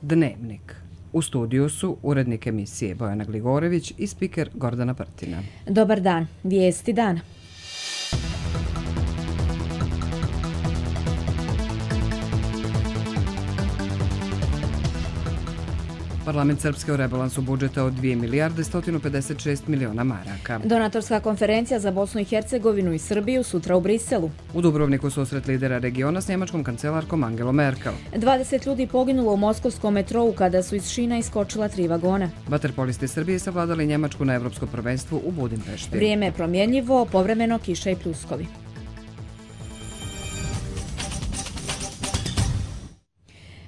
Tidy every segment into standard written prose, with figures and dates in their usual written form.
Dnevnik. U studiju su urednik emisije Bojana Gligorević i spiker Gordana Prtina. Dobar dan, vijesti dana. Parlament Srpske u rebalansu budžeta od 2 milijarde 156 miliona maraka. Donatorska konferencija za Bosnu i Hercegovinu i Srbiju sutra u Briselu. U Dubrovniku susret lidera regiona s njemačkom kancelarkom Angelom Merkel. 20 ljudi poginulo u moskovskom metrou kada su iz šina iskočila 3 vagona. Vaterpolisti Srbije savladali Njemačku na Evropskom prvenstvu u Budimpešti. Vrijeme je promjenjivo, povremeno kiša i pljuskovi.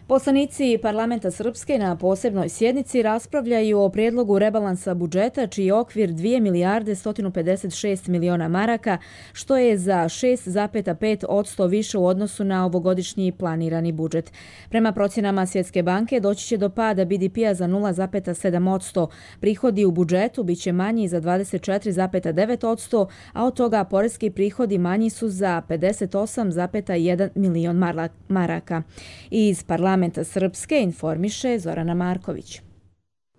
Poslanici Parlamenta Srpske na posebnoj sjednici raspravljaju o prijedlogu rebalansa budžeta čiji je okvir 2 milijarde 156 miliona maraka, što je za 6,5% više u odnosu na ovogodišnji planirani budžet. Prema procjenama Svjetske banke doći će do pada BDP-a za 0,7%. Prihodi u budžetu bit će manji za 24,9%, a od toga poreski prihodi manji su za 58,1 milion maraka. Iz Parlamenta Srpske informiše Zorana Marković.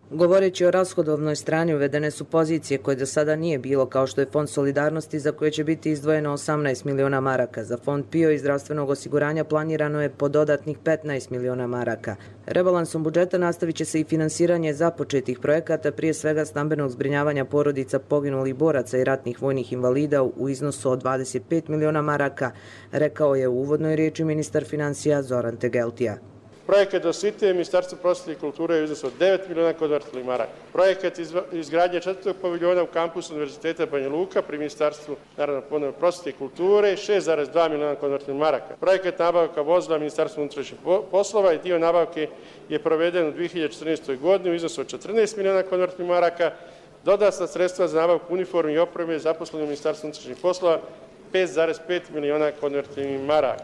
Govoreći o rashodovnoj strani, uvedene su pozicije koje do sada nije bilo, kao što je Fond solidarnosti za koje će biti izdvojeno 18 miliona maraka. Za Fond PIO i zdravstvenog osiguranja planirano je po dodatnih 15 miliona maraka. Rebalansom budžeta nastavit će se i finansiranje započetih projekata, prije svega stambenog zbrinjavanja porodica poginulih boraca i ratnih vojnih invalida u iznosu od 25 miliona maraka, rekao je u uvodnoj riječi ministar financija Zoran Tegeltija. Projekat Dositije Ministarstva prosvjete i kulture je u iznosu od 9 miliona konvertibilnih maraka. Projekat izgradnje 4. paviljona u kampusu Univerziteta Banja Luka pri Ministarstvu prosvjete i kulture 6,2 miliona konvertibilnih maraka. Projekat nabavka vozila Ministarstva unutrašnjih poslova i dio nabavke je proveden u 2014. godini u iznosu od 14 miliona konvertibilnih maraka. Dodatna sredstva za nabavku uniformi i opreme zaposleni u Ministarstvu unutrašnjih poslova 5,5 miliona konvertibilnih maraka.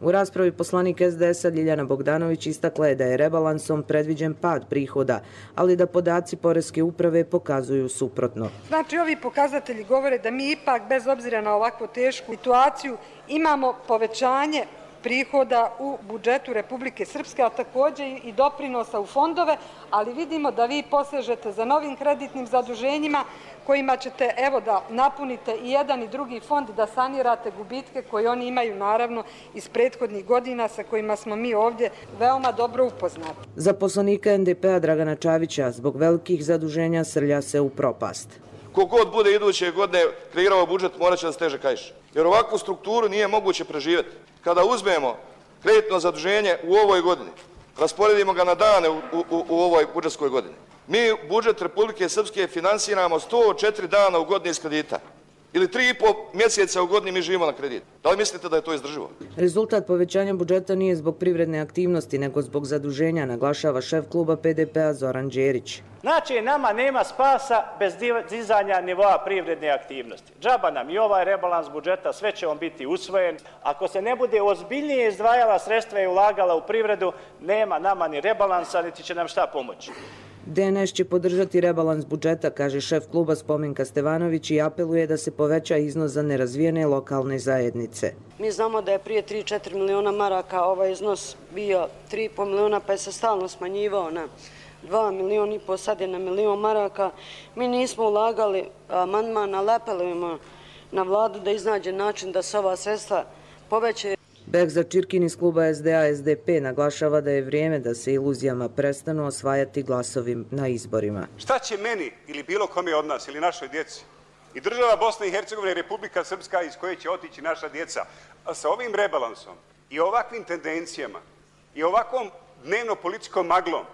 U raspravi poslanik SDS-a Ljiljana Bogdanović istakla je da je rebalansom predviđen pad prihoda, ali da podaci Poreske uprave pokazuju suprotno. Znači, ovi pokazatelji govore da mi ipak, bez obzira na ovakvu tešku situaciju, imamo povećanje prihoda u budžetu Republike Srpske, a također i doprinosa u fondove, ali vidimo da vi posežete za novim kreditnim zaduženjima kojima ćete, evo, da napunite i jedan i drugi fond, da sanirate gubitke koje oni imaju, naravno, iz prethodnih godina sa kojima smo mi ovdje veoma dobro upoznati. Za poslanika NDP-a Dragana Čavića zbog velikih zaduženja srlja se u propast. Kogod bude iduće godine kreirao budžet, morat će da steže kaiš. Jer ovakvu strukturu nije moguće preživjeti. Kada uzmemo kreditno zaduženje u ovoj godini, rasporedimo ga na dane u ovoj budžetskoj godini, mi budžet Republike Srpske finansiramo 104 dana u godini iz kredita. Ili 3,5 mjeseca u godini mi živimo na kredit. Da li mislite da je to izdrživo? Rezultat povećanja budžeta nije zbog privredne aktivnosti, nego zbog zaduženja, naglašava šef kluba PDP-a Zoran Đerić. Znači, nama nema spasa bez dizanja nivoa privredne aktivnosti. Džaba nam i ovaj rebalans budžeta, sve će on biti usvojen. Ako se ne bude ozbiljnije izdvajala sredstva i ulagala u privredu, nema nama ni rebalansa, niti će nam šta pomoći. DNS će podržati rebalans budžeta, kaže šef kluba Spomenka Stevanović i apeluje da se poveća iznos za nerazvijene lokalne zajednice. Mi znamo da je prije 3-4 miliona maraka ovaj iznos bio 3,5 miliona, pa je se stalno smanjivao na 2 miliona i po, sad je na milion maraka. Mi nismo ulagali amandman, ali apelujemo na vladu da iznađe način da se ova sredstva poveće. Bekza Čirkin iz kluba SDA SDP naglašava da je vrijeme da se iluzijama prestanu osvajati glasovi na izborima. Šta će meni ili bilo kome od nas ili našoj djeci i država Bosna i Hercegovina i Republika Srpska iz koje će otići naša djeca, a sa ovim rebalansom i ovakvim tendencijama i ovakvom dnevno-političkom maglom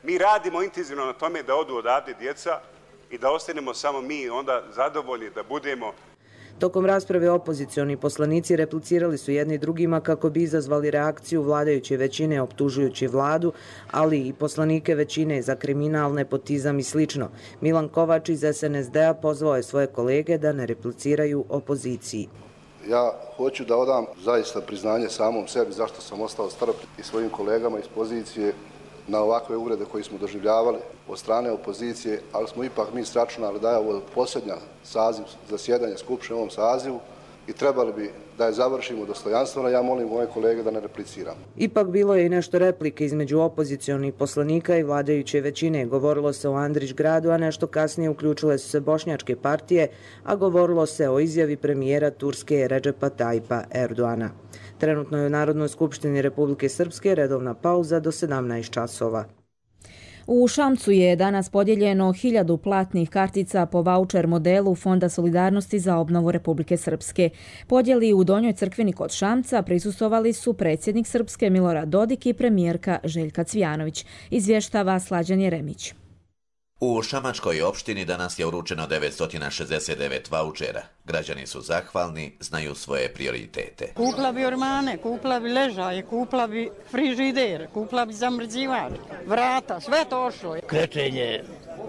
mi radimo intenzivno na tome da odu odavde djeca i da ostanemo samo mi onda zadovoljni da budemo. Tokom rasprave opozicioni poslanici replicirali su jedni drugima kako bi izazvali reakciju vladajuće većine optužujući vladu, ali i poslanike većine za kriminal, nepotizam i slično. Milan Kovač iz SNSD-a pozvao je svoje kolege da ne repliciraju opoziciji. Ja hoću da odam zaista priznanje samom sebi zašto sam ostao strpljiv i svojim kolegama iz pozicije na ovakve uvrede koje smo doživljavali od strane opozicije, ali smo ipak mi sračunali da je ovo posljednja saziv zasjedanja Skupštine u ovom sazivu i trebali bi da je završimo dostojanstveno. Ja molim moje kolege da ne repliciram. Ipak bilo je i nešto replike između opozicionih poslanika i vladajuće većine. Govorilo se o Andrić gradu, a nešto kasnije uključile su se bošnjačke partije, a govorilo se o izjavi premijera Turske Redžepa Tayyipa Erdoana. Trenutno je u Narodnoj skupštini Republike Srpske redovna pauza do 17 časova. U Šamcu je danas podijeljeno 1000 platnih kartica po vaučer modelu Fonda solidarnosti za obnovu Republike Srpske. Podjeli u Donjoj crkveni kod Šamca prisustvovali su predsjednik Srpske Milorad Dodik i premijerka Željka Cvijanović, izvještava Slađan Jeremić. U Šamačkoj opštini danas je uručeno 969 vaučera. Građani su zahvalni, znaju svoje prioritete. Kupila bi ormane, kupila bi ležaje, kupila bi frižider, kupila bi zamrzivač, vrata, sve to ošlo. Krečenje,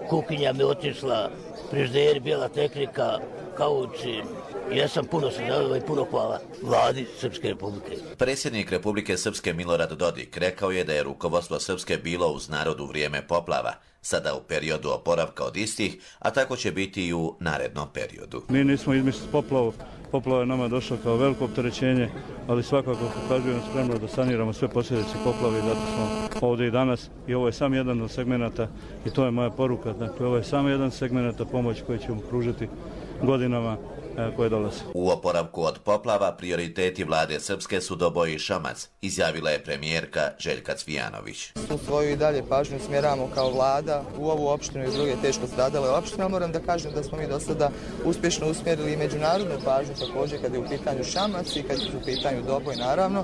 kuhinja mi otišla, frižider, bijela tehnika, kauči. Ja sam puno sudjelovao i puno hvala vladi Srpske republike. Predsjednik Republike Srpske Milorad Dodik rekao je da je rukovodstvo Srpske bilo uz narod u vrijeme poplava, sada u periodu oporavka od istih, a tako će biti i u narednom periodu. Mi nismo izmislili poplavu. Poplava je nama došla kao veliko opterećenje, ali svakako pokazujemo spremno da saniramo sve posljedice poplave, zato smo ovdje i danas i ovo je samo jedan od segmenata i to je moja poruka. Dakle, ovo je samo jedan segmenata pomoć koju ćemo pružiti godinama koje dolaze. U oporavku od poplava prioriteti vlade Srpske su Doboj i Šamac, izjavila je premijerka Željka Cvijanović. U svoju i dalje pažnju smjeramo kao vlada u ovu opštinu i druge teško stradale opštine, ali moram da kažem da smo mi do sada uspješno usmjerili i međunarodnu pažnju također kad je u pitanju Šamac i kad je u pitanju Doboj naravno.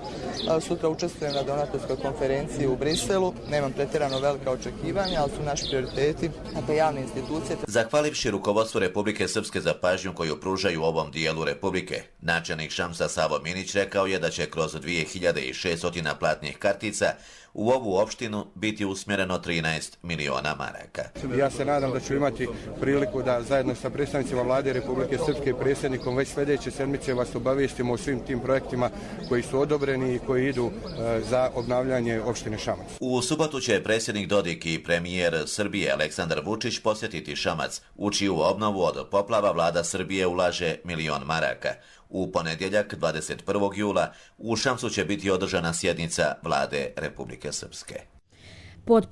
Sutra učestvujem na donatorskoj konferenciji u Briselu, nemam pretjerano velika očekivanja, ali su naši prioriteti, dakle javne institucije. Zahvalivši rukovodstvu Republike Srpske za pažnju koju pružaju u ovom dijelu Republike, načelnik Šamsa Savo Minić rekao je da će kroz 2600 platnih kartica u ovu opštinu biti usmjereno 13 miliona maraka. Ja se nadam da ću imati priliku da zajedno sa predstavnicima vlade Republike Srpske i predsjednikom već sljedeće sedmice vas obavijestimo o svim tim projektima koji su odobreni i koji idu za obnavljanje opštine Šamac. U subotu će predsjednik Dodik i premijer Srbije Aleksandar Vučić posjetiti Šamac, u čiju obnovu od poplava vlada Srbije ulaže 1 milion maraka. U ponedjeljak, 21. jula, u Šamcu će biti održana sjednica vlade Republike Srpske. Pod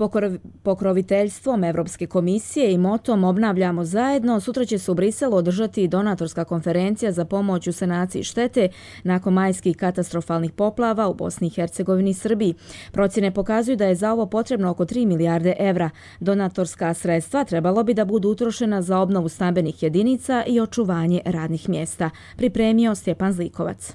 pokroviteljstvom Evropske komisije i motom Obnavljamo zajedno, sutra će se u Briselu održati donatorska konferencija za pomoć u sanaciji štete nakon majskih katastrofalnih poplava u Bosni i Hercegovini i Srbiji. Procjene pokazuju da je za ovo potrebno oko 3 milijarde evra. Donatorska sredstva trebalo bi da budu utrošena za obnovu stambenih jedinica i očuvanje radnih mjesta. Pripremio Stjepan Zlikovac.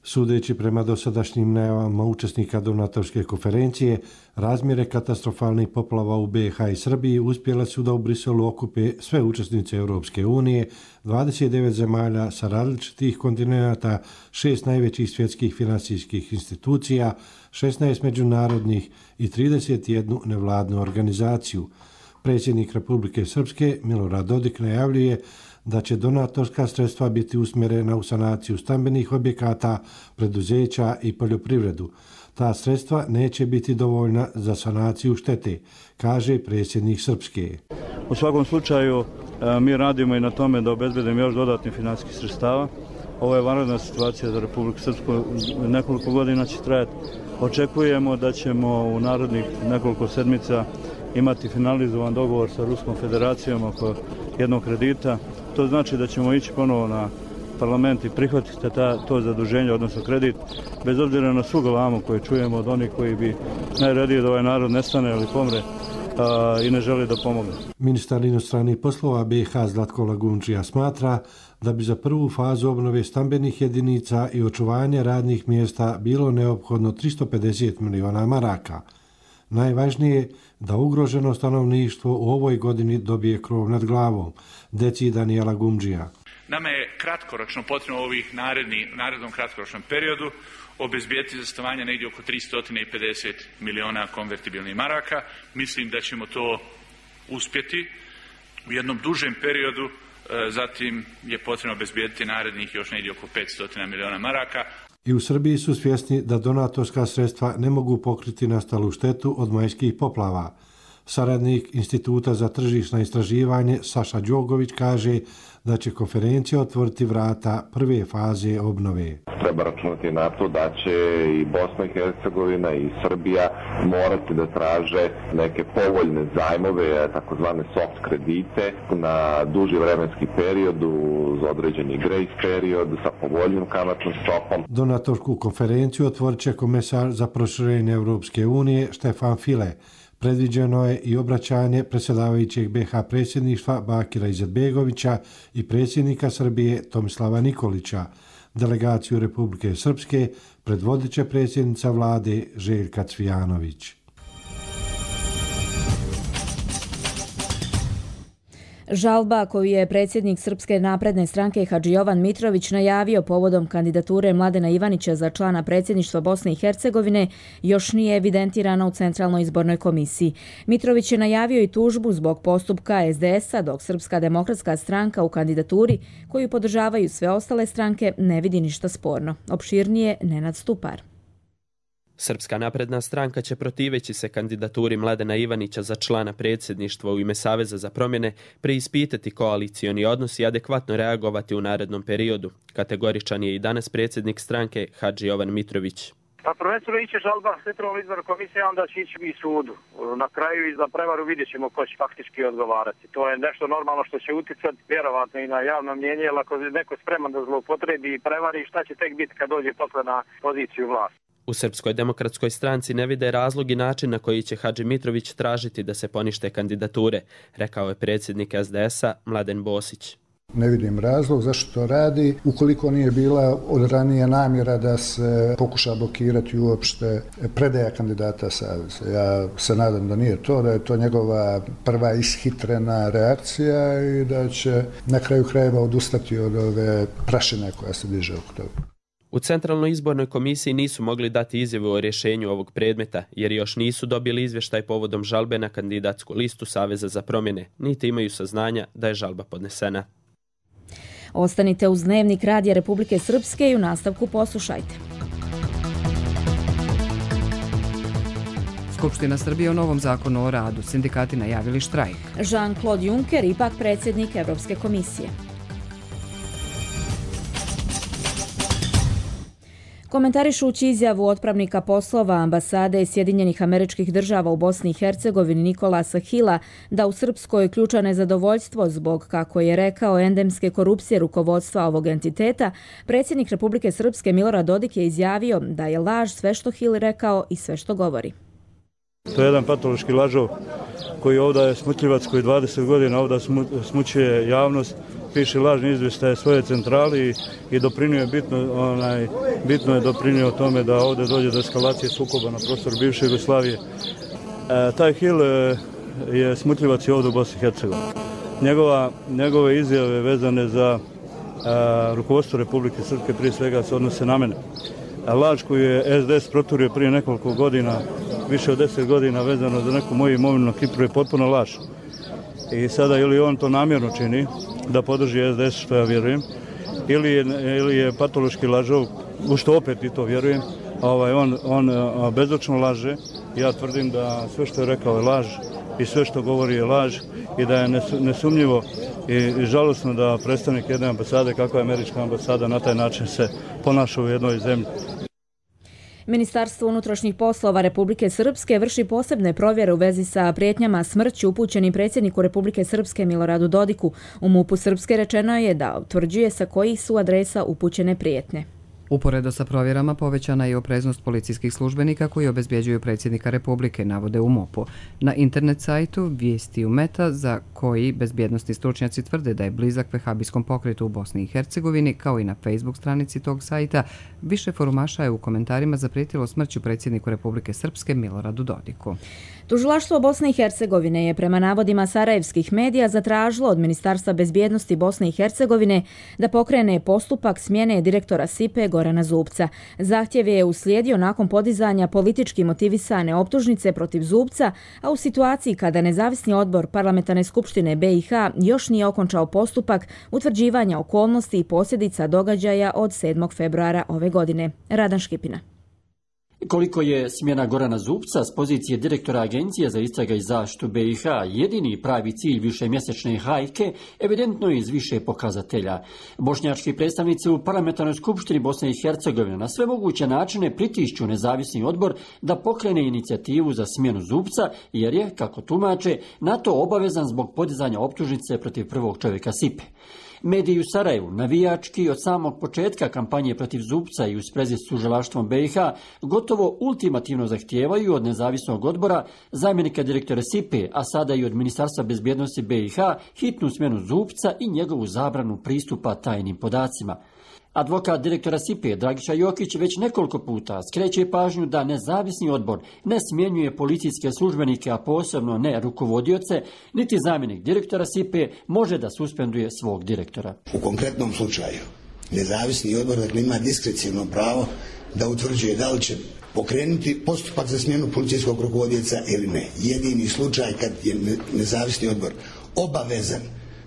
Sudeći prema dosadašnjim najavama učesnika donatorske konferencije, razmjere katastrofalnih poplava u BiH i Srbiji uspjela su da u Briselu okupe sve učesnice Europske unije, 29 zemalja sa različitih kontinenata, 6 najvećih svjetskih finansijskih institucija, 16 međunarodnih i 31 nevladnu organizaciju. Predsjednik Republike Srpske Milorad Dodik najavljuje da će donatorska sredstva biti usmjerena u sanaciju stambenih objekata, preduzeća i poljoprivredu. Ta sredstva neće biti dovoljna za sanaciju štete, kaže predsjednik Srpske. U svakom slučaju mi radimo i na tome da obezbedimo još dodatnih financijskih sredstava. Ovo je vanredna situacija za Republiku Srpsku, nekoliko godina će trajati. Očekujemo da ćemo u narednih nekoliko sedmica imati finalizovan dogovor sa Ruskom federacijom oko jednog kredita. To znači da ćemo ići ponovo na parlament i prihvatiti to zaduženje, odnosno kredit, bez obzira na svu galamu koju čujemo od onih koji bi najradije da ovaj narod nestane ili pomre i ne želi da pomogne. Ministar inostranih poslova BiH Zlatko Lagundžija smatra da bi za prvu fazu obnove stambenih jedinica i očuvanja radnih mjesta bilo neophodno 350 miliona maraka. Najvažnije je da ugroženo stanovništvo u ovoj godini dobije krov nad glavom, decidan je Lagundžija. Nama je kratkoročno potrebno u ovih narednom kratkoročnom periodu obezbijeti za stanovanje negdje oko 350 miliona konvertibilnih maraka. Mislim da ćemo to uspjeti u jednom dužem periodu. Zatim je potrebno obezbijeti narednih još negdje oko 500 miliona maraka. I u Srbiji su svjesni da donatorska sredstva ne mogu pokriti nastalu štetu od majskih poplava. Saradnik Instituta za tržišno istraživanje Saša Đogović kaže da će konferencija otvoriti vrata prve faze obnove. Treba računati na to da će i Bosna i Hercegovina i Srbija morati da traže neke povoljne zajmove, takozvane soft kredite na duži vremenski period uz određeni grace period sa povoljnim kamatnom stopom. Donatorsku konferenciju otvorit će komesar za proširenje Europske unije Štefan File. Predviđeno je i obraćanje predsjedavajućeg BiH predsjedništva Bakira Izetbegovića i predsjednika Srbije Tomislava Nikolića. Delegaciju Republike Srpske predvodit će predsjednica vlade Željka Cvijanović. Žalba koju je predsjednik Srpske napredne stranke Hadži Jovan Mitrović najavio povodom kandidature Mladena Ivanića za člana predsjedništva Bosne i Hercegovine još nije evidentirana u Centralnoj izbornoj komisiji. Mitrović je najavio i tužbu zbog postupka SDS-a, dok Srpska demokratska stranka u kandidaturi, koju podržavaju sve ostale stranke, ne vidi ništa sporno. Opširnije Nenad Stupar. Srpska napredna stranka će protiveći se kandidaturi Mladena Ivanića za člana predsjedništva u ime Saveza za promjene preispitati koalicioni odnos i adekvatno reagovati u narednom periodu. Kategoričan je i danas predsjednik stranke Hadži Jovan Mitrović. Pa prvenstveno iće žalba Centralnoj izbornoj komisiji, a onda će ići i sudu. Na kraju i za prevaru vidjet ćemo ko će faktički odgovarati. To je nešto normalno što će utjecati vjerovatno i na javno mnjenje, jer ako je neko spreman da zloupotrebi i prevari, šta će tek biti kad dođe posle na poziciju vlasti. U Srpskoj demokratskoj stranci ne vide razlog i način na koji će Hadži Mitrović tražiti da se ponište kandidature, rekao je predsjednik SDS-a Mladen Bosić. Ne vidim razlog zašto to radi, ukoliko nije bila od ranije namjera da se pokuša blokirati uopšte predaja kandidata Saveza. Ja se nadam da nije to, da je to njegova prva ishitrena reakcija i da će na kraju krajeva odustati od ove prašine koja se diže oko toga. U Centralnoj izbornoj komisiji nisu mogli dati izjavu o rješenju ovog predmeta, jer još nisu dobili izvještaj povodom žalbe na kandidatsku listu Saveza za promjene, niti imaju saznanja da je žalba podnesena. Ostanite uz Dnevnik Radija Republike Srpske i u nastavku poslušajte. Skupština Srbije o novom zakonu o radu. Sindikati najavili štrajk. Jean-Claude Juncker, ipak predsjednik Evropske komisije. Komentarišući izjavu otpravnika poslova ambasade Sjedinjenih Američkih Država u Bosni i Hercegovini Nikolasa Hila da u Srpskoj je ključno nezadovoljstvo zbog, kako je rekao, endemske korupcije rukovodstva ovog entiteta, predsjednik Republike Srpske Milorad Dodik je izjavio da je laž sve što Hil rekao i sve što govori. To je jedan patološki lažov koji ovdje je smutljivac koji 20 godina ovdje smućuje javnost, piše lažni izvještaje svoje centrali i bitno je doprinio tome da ovdje dođe do eskalacije sukoba na prostoru bivše Jugoslavije. Taj Hil je smutljivac i ovdje u Bosni i Hercegovini. Njegove izjave vezane za rukovodstvo Republike Srpske prije svega se odnose na mene. Laž koju je SDS proturio prije nekoliko godina, više od 10 godina vezano za neku moju imovinu na Kipru je potpuno laž. I sada ili on to namjerno čini da podrži SDS, što ja vjerujem, ili je patološki lažov, u što opet i to vjerujem, on bezočno laže. Ja tvrdim da sve što je rekao je laž i sve što govori je laž i da je nesumnjivo i žalosno da predstavnik jedne ambasade, kakva je američka ambasada, na taj način se ponaša u jednoj zemlji. Ministarstvo unutrašnjih poslova Republike Srpske vrši posebne provjere u vezi sa prijetnjama smrću upućenim predsjedniku Republike Srpske Miloradu Dodiku. U MUP-u Srpske rečeno je da utvrđuje sa kojih su adresa upućene prijetnje. Uporedo sa provjerama povećana je opreznost policijskih službenika koji obezbjeđuju predsjednika Republike, navode u MUP-u. Na internet sajtu Vijestiju Meta, za koji bezbjednosni stručnjaci tvrde da je blizak vehabijskom pokretu u Bosni i Hercegovini, kao i na Facebook stranici tog sajta, više forumaša je u komentarima zaprijetilo smrću predsjedniku Republike Srpske Miloradu Dodiku. Tužilaštvo Bosne i Hercegovine je prema navodima sarajevskih medija zatražilo od Ministarstva bezbjednosti Bosne i Hercegovine da pokrene postupak smjene direktora SIPE Gorana Zubca. Zahtjev je uslijedio nakon podizanja politički motivisane optužnice protiv Zubca, a u situaciji kada nezavisni odbor Parlamentarne skupštine BiH još nije okončao postupak utvrđivanja okolnosti i posljedica događaja od 7. februara ove godine. Radan Škipina. Koliko je smjena Gorana Zubca s pozicije direktora Agencije za istraga i zaštitu BiH jedini pravi cilj višemjesečne hajke, evidentno je iz više pokazatelja. Bošnjački predstavnici u Parlamentarnoj skupštini Bosne i Hercegovine na sve moguće načine pritišću nezavisni odbor da pokrene inicijativu za smjenu Zubca, jer je, kako tumače, na to obavezan zbog podizanja optužnice protiv prvog čovjeka Sipe. Mediji u Sarajevu, navijački od samog početka kampanje protiv Zubca i u sprezi s tužilaštvom BiH, gotovo ultimativno zahtijevaju od nezavisnog odbora, zamjenika direktora Sipe, a sada i od Ministarstva bezbjednosti BiH, hitnu smjenu Zubca i njegovu zabranu pristupa tajnim podacima. Advokat direktora Sipe, Dragiša Jokić, već nekoliko puta skreće pažnju da nezavisni odbor ne smjenjuje policijske službenike, a posebno ne rukovodioce, niti zamjenik direktora Sipe može da suspenduje svog direktora. U konkretnom slučaju, nezavisni odbor ima diskreciono pravo da utvrđuje da li će pokrenuti postupak za smjenu policijskog rukovodioca ili ne. Jedini slučaj kad je nezavisni odbor obavezan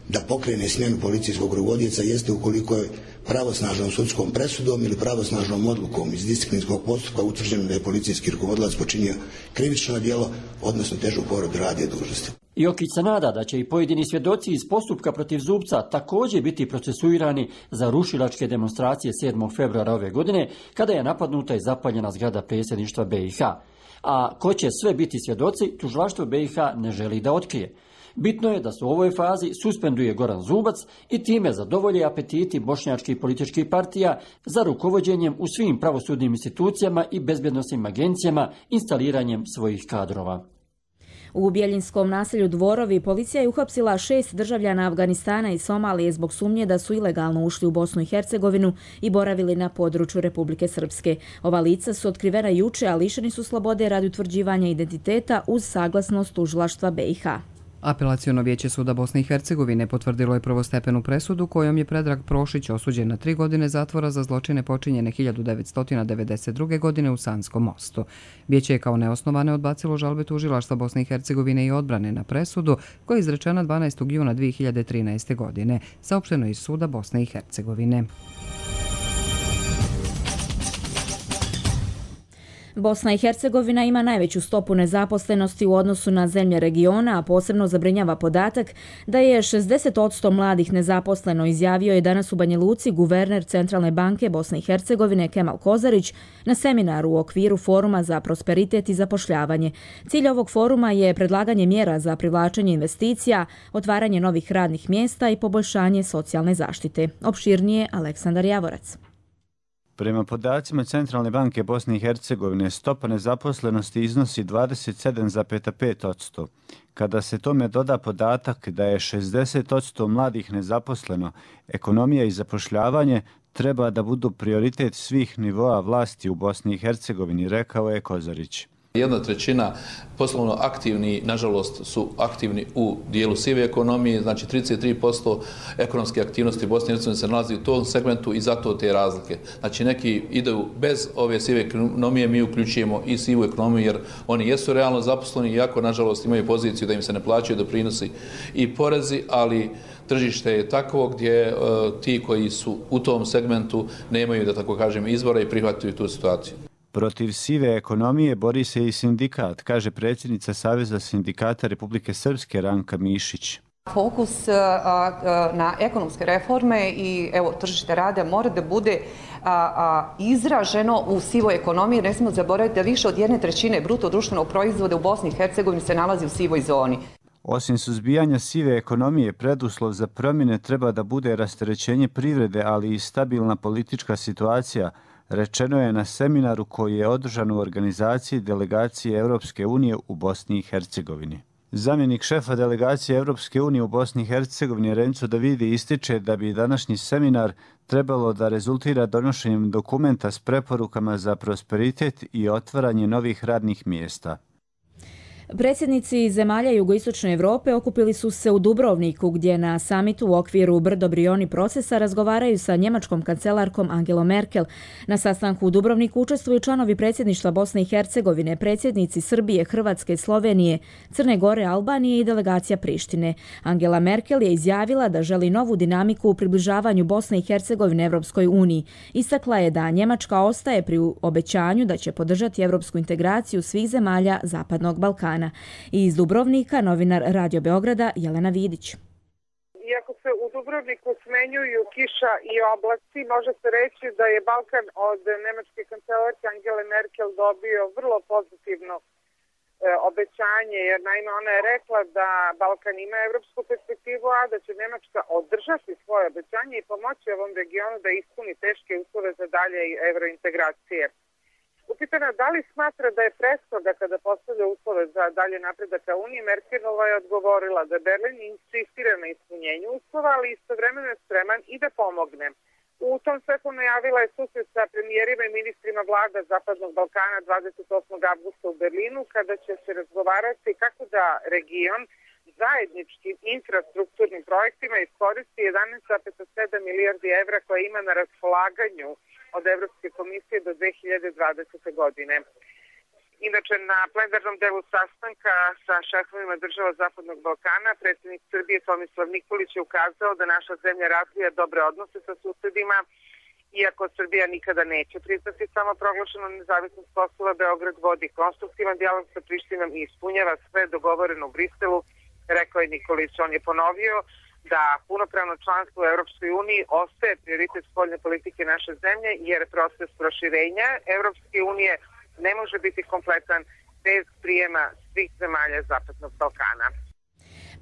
da pokrene smjenu policijskog rukovodioca jeste ukoliko je pravosnažnom sudskom presudom ili pravosnažnom odlukom iz disciplinskog postupka utvrđeno da je policijski rukovodilac počinio krivično djelo, odnosno težu povredu radne dužnosti. Jokić se nada da će i pojedini svjedoci iz postupka protiv Zubca također biti procesuirani za rušilačke demonstracije 7. februara ove godine, kada je napadnuta i zapaljena zgrada predsjedništva BiH. A ko će sve biti svjedoci, tužilaštvo BiH ne želi da otkrije. Bitno je da se u ovoj fazi suspenduje Goran Zubac i time zadovolje apetiti bošnjačkih političkih partija za rukovođenjem u svim pravosudnim institucijama i bezbjednosnim agencijama instaliranjem svojih kadrova. U Bjeljinskom naselju Dvorovi policija je uhapsila 6 državljana Afganistana i Somalije zbog sumnje da su ilegalno ušli u Bosnu i Hercegovinu i boravili na području Republike Srpske. Ova lica su otkrivena juče, a lišeni su slobode radi utvrđivanja identiteta uz saglasnost tužilaštva BiH. Apelaciono vijeće suda Bosne i Hercegovine potvrdilo je prvostepenu presudu kojom je Predrag Prošić osuđen na 3 godine zatvora za zločine počinjene 1992. godine u Sanskom mostu. Vijeće je kao neosnovane odbacilo žalbe tužilaštva Bosne i Hercegovine i odbrane na presudu koja je izrečena 12. juna 2013. godine, saopšteno iz suda Bosne i Hercegovine. Bosna i Hercegovina ima najveću stopu nezaposlenosti u odnosu na zemlje regiona, a posebno zabrinjava podatak da je 60% mladih nezaposleno, izjavio je danas u Banja Luci guverner Centralne banke Bosne i Hercegovine Kemal Kozarić na seminaru u okviru Foruma za prosperitet i zapošljavanje. Cilj ovog foruma je predlaganje mjera za privlačenje investicija, otvaranje novih radnih mjesta i poboljšanje socijalne zaštite. Opširnije Aleksandar Javorac. Prema podacima Centralne banke Bosne i Hercegovine, stopa nezaposlenosti iznosi 27,5%. Kada se tome doda podatak da je 60% mladih nezaposleno, ekonomija i zapošljavanje treba da budu prioritet svih nivoa vlasti u Bosni i Hercegovini, rekao je Kozarić. 1/3 poslovno aktivni, nažalost, su aktivni u dijelu sive ekonomije, znači 33% ekonomske aktivnosti Bosne i Hercegovine se nalazi u tom segmentu i zato te razlike. Znači neki idu bez ove sive ekonomije, mi uključujemo i sivu ekonomiju jer oni jesu realno zaposleni, iako nažalost imaju poziciju da im se ne plaćaju doprinosi i porezi, ali tržište je takvo gdje ti koji su u tom segmentu nemaju, da tako kažem, izbora i prihvataju tu situaciju. Protiv sive ekonomije bori se i sindikat, kaže predsjednica Saveza sindikata Republike Srpske Ranka Mišić. Fokus na ekonomske reforme i tržište rada mora da bude izraženo u sivoj ekonomiji. Ne smijemo zaboraviti da više od 1/3 bruto društvenog proizvoda u Bosni i Hercegovini se nalazi u sivoj zoni. Osim suzbijanja sive ekonomije, preduslov za promjene treba da bude rasterećenje privrede, ali i stabilna politička situacija, rečeno je na seminaru koji je održan u organizaciji delegacije Europske unije u Bosni i Hercegovini. Zamjenik šefa delegacije Europske unije u Bosni i Hercegovini Renzo Davidi ističe da bi današnji seminar trebalo da rezultira donošenjem dokumenta s preporukama za prosperitet i otvaranje novih radnih mjesta. Predsjednici zemalja jugoistočne Evrope okupili su se u Dubrovniku, gdje na samitu u okviru Brdo-Brioni procesa razgovaraju sa njemačkom kancelarkom Angelom Merkel. Na sastanku u Dubrovniku učestvuju članovi predsjedništva Bosne i Hercegovine, predsjednici Srbije, Hrvatske, Slovenije, Crne Gore, Albanije i delegacija Prištine. Angela Merkel je izjavila da želi novu dinamiku u približavanju Bosne i Hercegovine Evropskoj uniji. Istakla je da Njemačka ostaje pri obećanju da će podržati evropsku integraciju svih zemalja Zapadnog Balkana. I iz Dubrovnika novinar Radio Beograda Jelena Vidić. Iako se u Dubrovniku smenjuju kiša i oblaci, može se reći da je Balkan od nemačke kancelarke Angele Merkel dobio vrlo pozitivno obećanje, jer naime ona je rekla da Balkan ima evropsku perspektivu, a da će Nemačka održati svoje obećanje i pomoći ovom regionu da ispuni teške uslove za dalje evrointegracije. Upitana da li smatra da je preshoda kada postavlja uslove za dalje napredak ka Uniji, Merkelova je odgovorila da Berlin insistira na ispunjenju uslova, ali istovremeno je spreman i da pomogne. U tom svetlu najavila je susret sa premijerima i ministrima vlada Zapadnog Balkana 28. avgusta u Berlinu, kada će se razgovarati kako da region zajedničkim infrastrukturnim projektima iskoristi 11,7 milijardi evra koje ima na raspolaganju od Evropske komisije do 2020. godine. Inače, na plenarnom delu sastanka sa šefovima država Zapadnog Balkana, predsjednik Srbije Tomislav Nikolić je ukazao da naša zemlja razvija dobre odnose sa susedima, iako Srbija nikada neće priznati samoproglašenu nezavisnost Kosova, Beograd vodi konstruktivan dijalog sa Prištinom i ispunjava sve dogovoreno u Briselu, rekao je Nikolić. On je ponovio da punopravno članstvo u Europskoj uniji ostaje prioritet spoljne politike naše zemlje, jer proces proširenja Europske unije ne može biti kompletan bez prijema svih zemalja Zapadnog Balkana.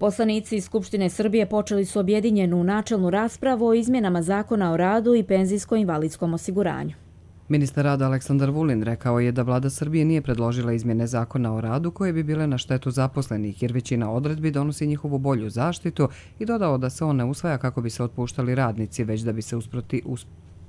Poslanici iz Skupštine Srbije počeli su objedinjenu načelnu raspravu o izmjenama Zakona o radu i penzijsko-invalidskom osiguranju. Ministar rada Aleksandar Vulin rekao je da vlada Srbije nije predložila izmjene Zakona o radu koje bi bile na štetu zaposlenih, jer većina odredbi donosi njihovu bolju zaštitu, i dodao da se on ne usvaja kako bi se otpuštali radnici, već da bi se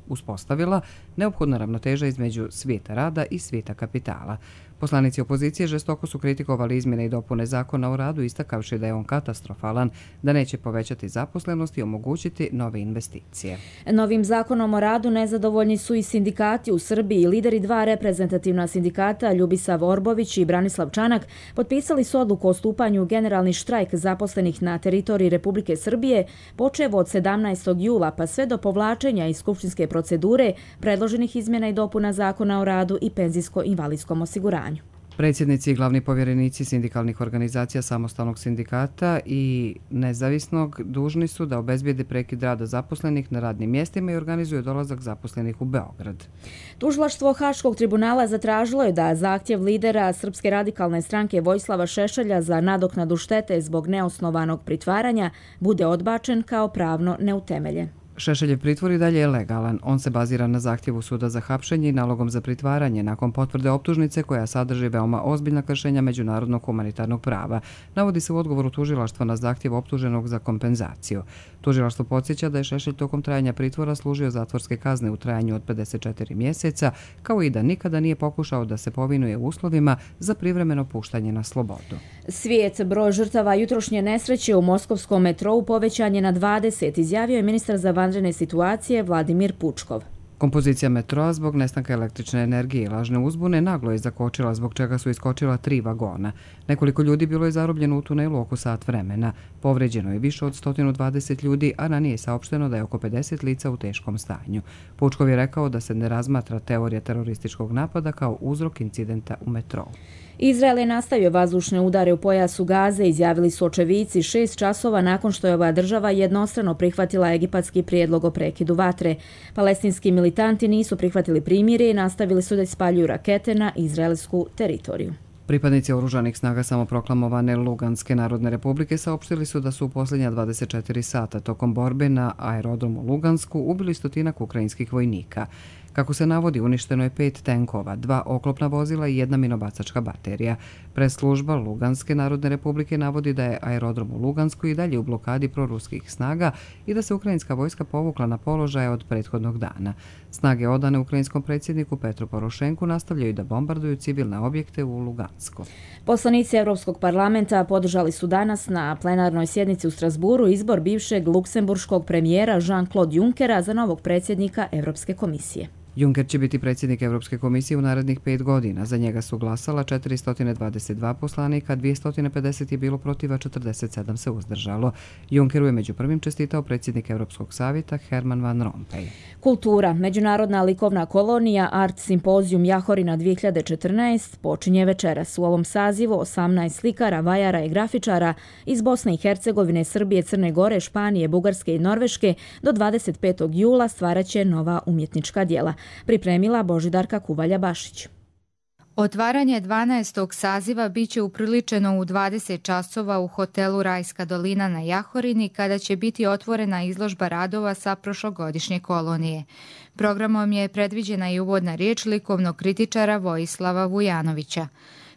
uspostavila neophodna ravnoteža između svijeta rada i svijeta kapitala. Poslanici opozicije žestoko su kritikovali izmjene i dopune Zakona o radu, istakavši da je on katastrofalan, da neće povećati zaposlenost i omogućiti nove investicije. Novim Zakonom o radu nezadovoljni su i sindikati u Srbiji. Lideri dva reprezentativna sindikata, Ljubisav Orbović i Branislav Čanak, potpisali su odluku o stupanju u generalni štrajk zaposlenih na teritoriji Republike Srbije, počev od 17. jula pa sve do povlačenja iz skupštinske procedure predloženih izmjena i dopuna Zakona o radu i penzijsko-invalidskom osiguranju. Predsjednici i glavni povjerenici sindikalnih organizacija Samostalnog sindikata i Nezavisnog dužni su da obezbijede prekid rada zaposlenih na radnim mjestima i organizuju dolazak zaposlenih u Beograd. Tužilaštvo Haškog tribunala zatražilo je da zahtjev lidera Srpske radikalne stranke Vojislava Šešelja za nadoknadu štete zbog neosnovanog pritvaranja bude odbačen kao pravno neutemeljen. Šešeljev pritvor i dalje je legalan. On se bazira na zahtjevu suda za hapšenje i nalogom za pritvaranje nakon potvrde optužnice koja sadrži veoma ozbiljna kršenja međunarodnog humanitarnog prava. Navodi se u odgovoru tužilaštva na zahtjev optuženog za kompenzaciju. Tužilaštvo podsjeća da je Šešelj tokom trajanja pritvora služio zatvorske kazne u trajanju od 54 mjeseca, kao i da nikada nije pokušao da se povinuje uslovima za privremeno puštanje na slobodu. Svijet broj žrtava jutrošnje nesreće u moskovskom metrou povećan je na 20, izjavio je ministar za vanredne situacije Vladimir Pučkov. Kompozicija metroa zbog nestanka električne energije i lažne uzbune naglo je zakočila, zbog čega su iskočila 3 vagona. Nekoliko ljudi bilo je zarobljeno u tunelu oko sat vremena. Povređeno je više od 120 ljudi, a ranije je saopšteno da je oko 50 lica u teškom stanju. Pučkov je rekao da se ne razmatra teorija terorističkog napada kao uzrok incidenta u metrou. Izrael je nastavio vazdušne udare u pojasu Gaze, izjavili su očevici 6 časova nakon što je ova država jednostrano prihvatila egipatski prijedlog o prekidu vatre. Palestinski militanti nisu prihvatili primirje i nastavili su da ispaljuju rakete na izraelsku teritoriju. Pripadnici oružanih snaga samoproklamovane Luganske narodne republike saopštili su da su u posljednja 24 sata tokom borbe na aerodromu Lugansku ubili 100 ukrajinskih vojnika. Kako se navodi, uništeno je 5 tenkova, 2 oklopna vozila i 1 minobacačka baterija. Press-služba Luganske Narodne Republike navodi da je aerodrom u Lugansku i dalje u blokadi proruskih snaga i da se ukrajinska vojska povukla na položaje od prethodnog dana. Snage odane ukrajinskom predsjedniku Petru Porošenku nastavljaju da bombarduju civilne objekte u Lugansku. Poslanici Evropskog parlamenta podržali su danas na plenarnoj sjednici u Strasburu izbor bivšeg luksemburškog premijera Jean-Claude Junckera za novog predsjednika Evropske komisije. Juncker će biti predsjednik Evropske komisije u narednih 5 godina. Za njega su glasala 422 poslanika, 250 je bilo protiv, a 47 se uzdržalo. Junckeru je među prvim čestitao predsjednik Evropskog savjeta Herman Van Rompuy. Kultura. Međunarodna likovna kolonija Art Simpozijum Jahorina 2014 počinje večeras. U ovom sazivu 18 slikara, vajara i grafičara iz Bosne i Hercegovine, Srbije, Crne Gore, Španije, Bugarske i Norveške do 25. jula stvaraće nova umjetnička djela. Pripremila Božidarka Kuvalja-Bašić. Otvaranje 12. saziva biće upriličeno u 20 časova u hotelu Rajska dolina na Jahorini, kada će biti otvorena izložba radova sa prošlogodišnje kolonije. Programom je predviđena i uvodna riječ likovnog kritičara Vojislava Vujanovića.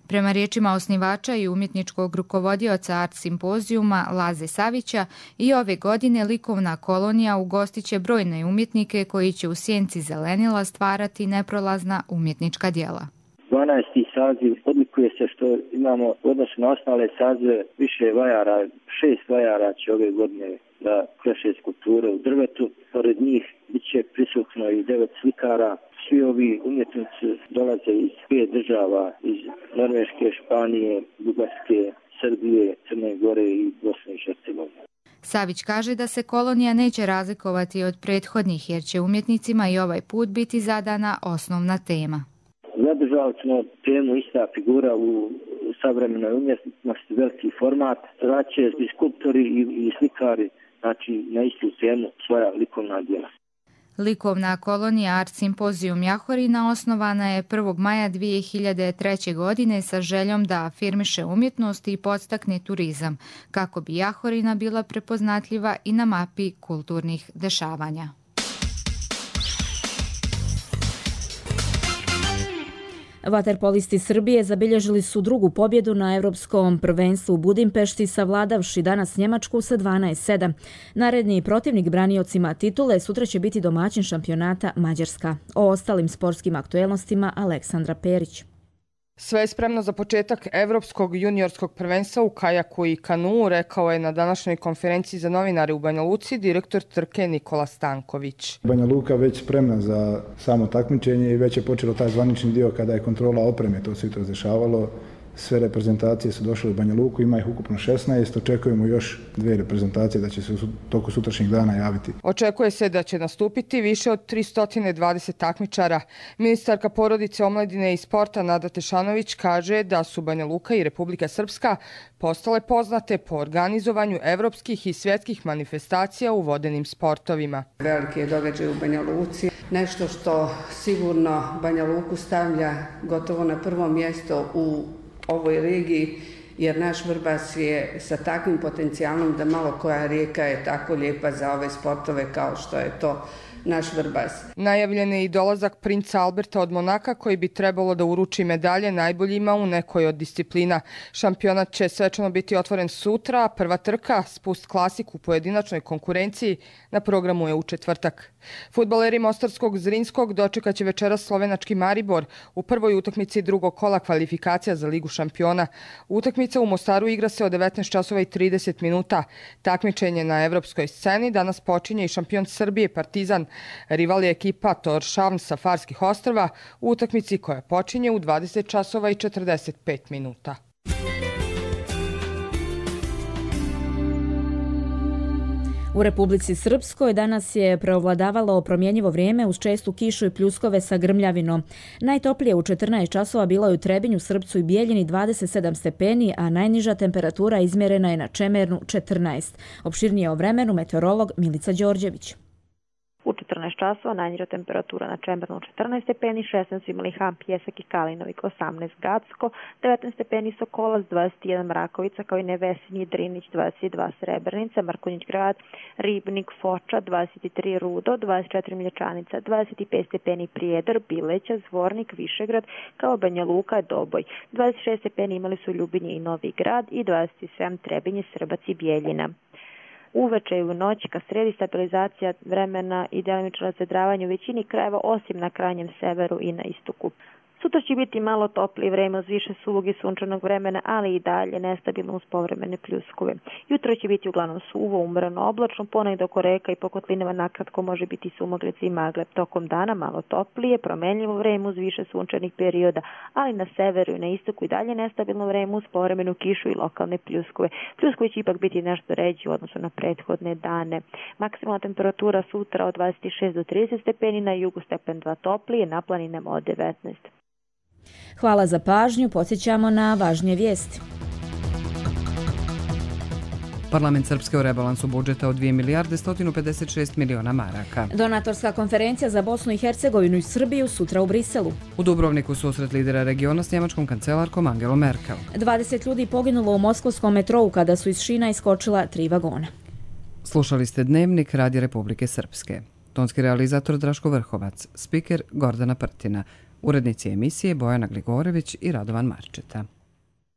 Prema riječima osnivača i umjetničkog rukovodioca Art Simpozijuma Laze Savića, i ove godine likovna kolonija ugostiće brojne umjetnike koji će u sjenci zelenila stvarati neprolazna umjetnička djela. 12. saziv odlikuje se što imamo u odnosu na ostale sazive više vajara, 6 vajara će ove godine da kreše skulpture u drvetu. Pored njih bit će prisutno i 9 slikara. Svi ovi umjetnici dolaze iz 5 država, iz Norveške, Španije, Bugarske, Srbije, Crne Gore i Bosne i Hercegovine. Savić kaže da se kolonija neće razlikovati od prethodnih, jer će umjetnicima i ovaj put biti zadana osnovna tema. Zadržali smo temu ista figura u savremenoj umjetnosti, veliki format. Vraće i skulptori i slikari, znači na istu temu svoja likovna djela. Likovna kolonija Art Simpozijum Jahorina osnovana je 1. maja 2003. godine sa željom da afirmiše umjetnost i podstakne turizam, kako bi Jahorina bila prepoznatljiva i na mapi kulturnih dešavanja. Vaterpolisti Srbije zabilježili su drugu pobjedu na Evropskom prvenstvu u Budimpešti, savladavši danas Njemačku sa 12:7. Naredni protivnik braniocima titule sutra će biti domaćin šampionata Mađarska. O ostalim sportskim aktuelnostima Aleksandra Perić. Sve je spremno za početak Evropskog juniorskog prvenstva u kajaku i kanuu, rekao je na današnjoj konferenciji za novinare u Banja Luci direktor trke Nikola Stanković. Banja Luka već spremna za samo takmičenje i već je počelo taj zvanični dio kada je kontrola opreme, to se jutros dešavalo. Sve reprezentacije su došle u Banja Luku, ima ih ukupno 16, očekujemo još 2 reprezentacije da će se u toku sutrašnjeg dana javiti. Očekuje se da će nastupiti više od 320 takmičara. Ministarka porodice, omladine i sporta Nada Tešanović kaže da su Banja Luka i Republika Srpska postale poznate po organizovanju evropskih i svjetskih manifestacija u vodenim sportovima. Veliki je događaj u Banja Luci, nešto što sigurno Banja Luku stavlja gotovo na prvo mjesto u ovoj regiji, jer naš Vrbas je sa takvim potencijalom da malo koja rijeka je tako lijepa za ove sportove kao što je to naš Vrbas. Najavljen je i dolazak princa Alberta od Monaka, koji bi trebalo da uruči medalje najboljima u nekoj od disciplina. Šampionat će svečano biti otvoren sutra, prva trka, spust klasik u pojedinačnoj konkurenciji, na programu je u četvrtak. Fudbaleri Mostarskog Zrinskog dočekat će večeras slovenački Maribor u prvoj utakmici drugog kola kvalifikacija za Ligu šampiona. Utakmica u Mostaru igra se od 19:30 minuta. Takmičenje na evropskoj sceni danas počinje i šampion Srbije Partizan. Rival je ekipa Tórshavn sa Farskih ostrva u utakmici koja počinje u 20:45 minuta. U Republici Srpskoj danas je preovladavalo promjenjivo vrijeme uz čestu kišu i pljuskove sa grmljavinom. Najtoplije u 14 časova bilo je u Trebinju, Srpcu i Bijeljini 27 stepeni, a najniža temperatura izmjerena je na Čemernu 14. Opširnije o vremenu meteorolog Milica Đorđević. U 14 časova najniža temperatura na Čembernu 14 stepeni, 16 su imali Han, Pjesak i Kalinovik, 18 Gacko, 19 stepeni Sokolac, 21 Mrakovica, kao i Nevesinji, Drinić, 22 Srebrenica, Markonjić Grad, Ribnik, Foča, 23 Rudo, 24 Mlječanica, 25 stepeni Prijedor, Bileća, Zvornik, Višegrad, kao Banja Luka, Doboj. 26 stepeni imali su Ljubinje i Novi Grad i 27 Trebinje, Srbac i Bijeljina. Uveče i u noći ka sredi stabilizacija vremena i delimično razvedravanje u većini krajeva osim na krajnjem severu i na istoku. Sutra će biti malo toplije vreme uz više suvog i sunčanog vremena, ali i dalje nestabilno uz povremene pljuskove. Jutro će biti uglavnom suvo, umrano, oblačno, ponegdje oko reka i po kotlinama nakratko može biti sumogleci i magle. Tokom dana malo toplije, promenljivo vreme uz više sunčanih perioda, ali na severu i na istoku i dalje nestabilno vreme uz povremenu kišu i lokalne pljuskove. Pljuskovi će ipak biti nešto ređi u odnosu na prethodne dane. Maksimalna temperatura sutra od 26 do 30 stepeni, na jugu stepen 2 toplije, na planinama od 19. Hvala za pažnju, podsjećamo na važnije vijesti. Parlament Srpske u rebalansu budžeta od 2 milijarde 156 miliona maraka. Donatorska konferencija za Bosnu i Hercegovinu i Srbiju sutra u Briselu. U Dubrovniku susret lidera regiona s njemačkom kancelarkom Angelom Merkel. 20 ljudi poginulo u moskovskom metrou kada su iz šina iskočila 3 vagona. Slušali ste Dnevnik Radija Republike Srpske. Tonski realizator Draško Vrhovac, spiker Gordana Prtina, urednici emisije Bojana Gligorević i Radovan Marčeta.